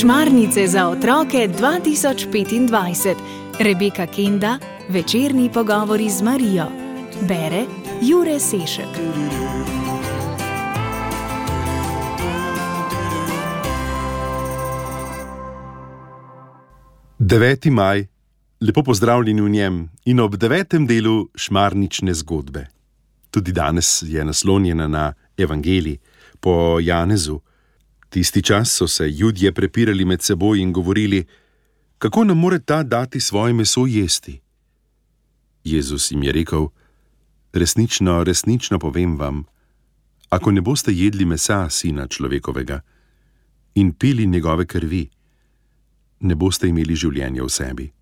Šmarnice za otroke 2025. Rebeka Kenda, večerni pogovori z Marijo. Bere Jure Sešek. Deveti maj, lepo pozdravljeni v njem in ob 9. delu šmarnične zgodbe. Tudi danes je naslonjena na evangelij po Janezu. Tisti čas so se Judje prepirali med seboj in govorili, kako nam more ta dati svoje meso jesti. Jezus jim je rekel, resnično, resnično povem vam, ako ne boste jedli mesa Sina človekovega in pili njegove krvi, ne boste imeli življenja v sebi.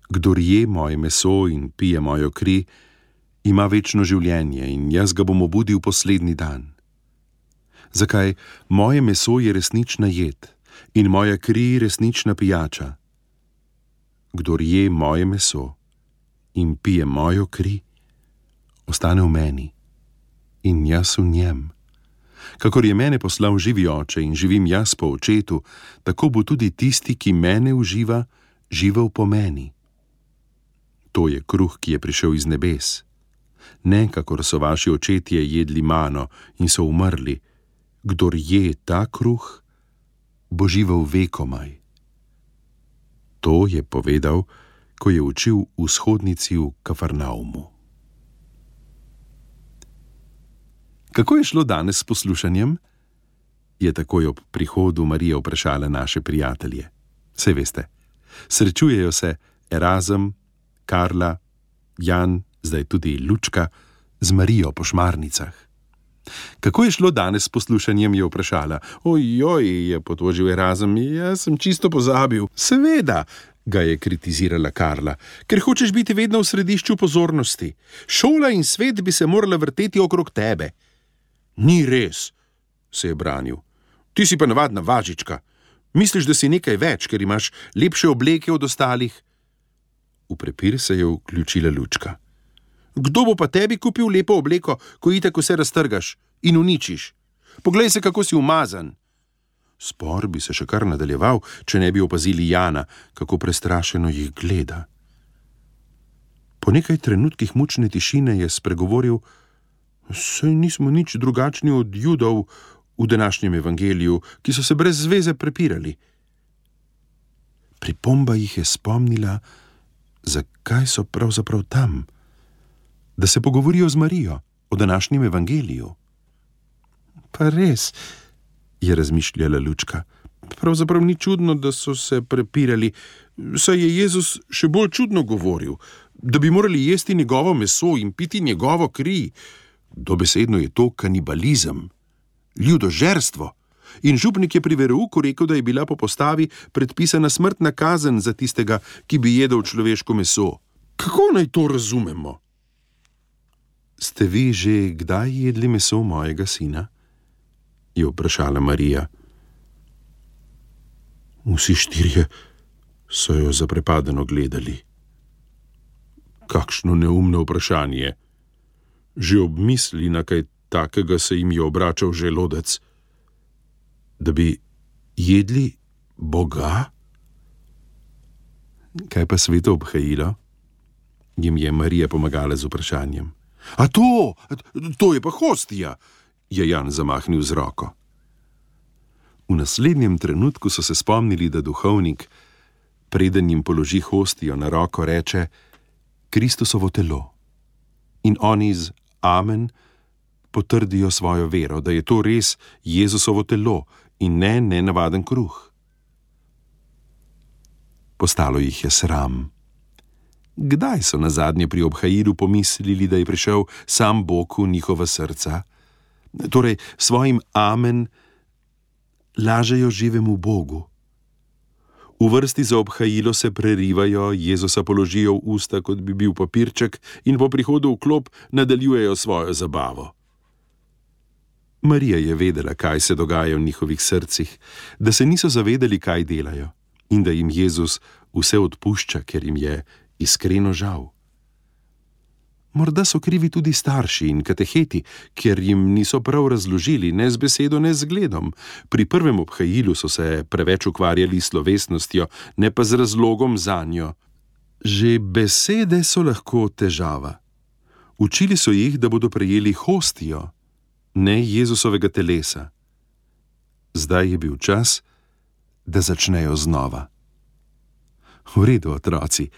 Kdor je moje meso in pije mojo kri, ima večno življenje in jaz ga bom obudil poslednji dan. Zakaj? Moje meso je resnična jed in moja kri resnična pijača. Kdor je moje meso in pije mojo kri, ostane v meni in jaz v njem. Kakor je mene poslal živi oče in živim jaz po očetu, tako bo tudi tisti, ki mene uživa, živel po meni. To je kruh, ki je prišel iz nebes. Ne, kakor so vaši očetje jedli mano in so umrli. Kdor je ta kruh, bo živel vekomaj. To je povedal, ko je učil v shodnici v Kafarnaumu. Kako je šlo danes s poslušanjem? Je takoj ob prihodu Marije vprašala naše prijatelje. Saj veste, srečujejo se Erazem, Karla, Jan, zdaj tudi Lučka, z Marijo po šmarnicah. Kako je šlo danes s poslušanjem, je vprašala. Ojoj, je potožil Erazem, jaz sem čisto pozabil. Seveda, ga je kritizirala Karla, ker hočeš biti vedno v središču pozornosti. Šola in svet bi se morala vrteti okrog tebe. Ni res, se je branil. Ti si pa navadna važička. Misliš, da si nekaj več, ker imaš lepše obleke od ostalih? V prepir se je vključila Lučka. Kdo bo pa tebi kupil lepo obleko, ko itak vse raztrgaš in uničiš? Poglej se, kako si umazan. Spor bi se še kar nadaljeval, če ne bi opazili Jana, kako prestrašeno jih gleda. Po nekaj trenutkih mučne tišine je spregovoril, saj nismo nič drugačni od Judov v današnjem evangeliju, ki so se brez zveze prepirali. Pripomba jih je spomnila, zakaj so pravzaprav tam, da se pogovorijo z Marijo o današnjem evangeliju. Pa res, je razmišljala Lučka, pravzaprav ni čudno, da so se prepirali, saj je Jezus še bolj čudno govoril, da bi morali jesti njegovo meso in piti njegovo kri. Dobesedno je to kanibalizem, ljudožerstvo. In župnik je pri verouku rekel, da je bila po postavi predpisana smrtna kazen za tistega, ki bi jedel človeško meso. Kako naj to razumemo? Ste vi že kdaj jedli meso mojega sina? Je vprašala Marija. Vsi štirje so jo zaprepadeno gledali. Kakšno neumno vprašanje. Že ob misli na kaj takega se jim je obračal želodec. Da bi jedli Boga? Kaj pa sveto obhajilo? Jim je Marija pomagala z vprašanjem. A to je pa hostija, je Jan zamahnil z roko. V naslednjem trenutku so se spomnili, da duhovnik, preden jim položi hostijo na roko, reče Kristusovo telo. In oni z amen potrdijo svojo vero, da je to res Jezusovo telo in ne nenavaden kruh. Postalo jih je sram. Kdaj so nazadnje pri obhajilu pomislili, da je prišel sam Bog v njihova srca? Torej, svojim amen lažejo živemu Bogu. V vrsti za obhajilo se prerivajo, Jezusa položijo v usta, kot bi bil papirček, in po prihodu v klop nadaljujejo svojo zabavo. Marija je vedela, kaj se dogaja v njihovih srcih, da se niso zavedali, kaj delajo, in da jim Jezus vse odpušča, ker jim je iskreno žal. Morda so krivi tudi starši in kateheti, ker jim niso prav razložili, ne z besedo, ne z zgledom. Pri prvem obhajilu so se preveč ukvarjali s slovesnostjo, ne pa z razlogom zanjo. Že besede so lahko težava. Učili so jih, da bodo prejeli hostijo, ne Jezusovega telesa. Zdaj je bil čas, da začnejo znova. V redu, otroci,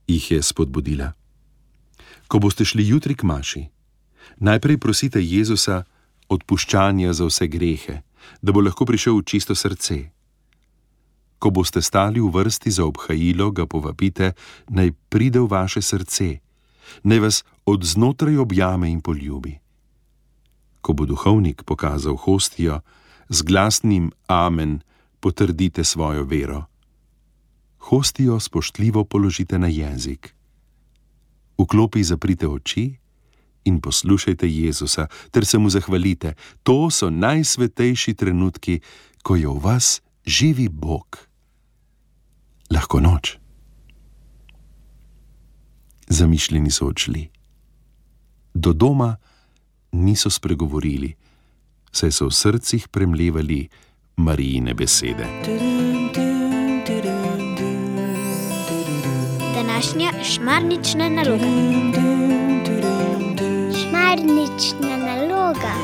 jih je spodbudila. Ko boste šli jutri k maši, najprej prosite Jezusa odpuščanja za vse grehe, da bo lahko prišel v čisto srce. Ko boste stali v vrsti za obhajilo, ga povabite, naj pride v vaše srce, naj vas od znotraj objame in poljubi. Ko bo duhovnik pokazal hostijo, z glasnim amen potrdite svojo vero. Hostijo spoštljivo položite na jezik. V klopi zaprite oči in poslušajte Jezusa, ter se mu zahvalite. To so najsvetejši trenutki, ko je v vas živi Bog. Lahko noč. Zamišljeni so odšli. Do doma niso spregovorili, saj so v srcih premlevali Marijine besede. Današnja šmarnična naloga. Šmarnična naloga.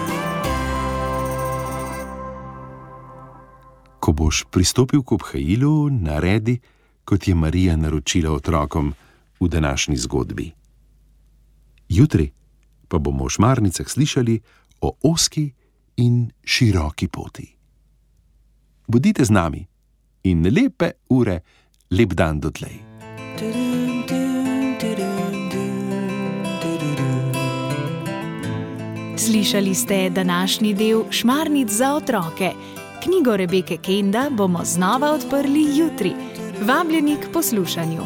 Ko boš pristopil k obhajilu, naredi, kot je Marija naročila otrokom v današnji zgodbi. Jutri pa bomo v šmarnicah slišali o ozki in široki poti. Bodite z nami in lepe ure, lep dan dotlej. Slišali ste današnji del Šmarnic za otroke. Knjigo Rebeke Kenda bomo znova odprli jutri. Vabljeni k poslušanju.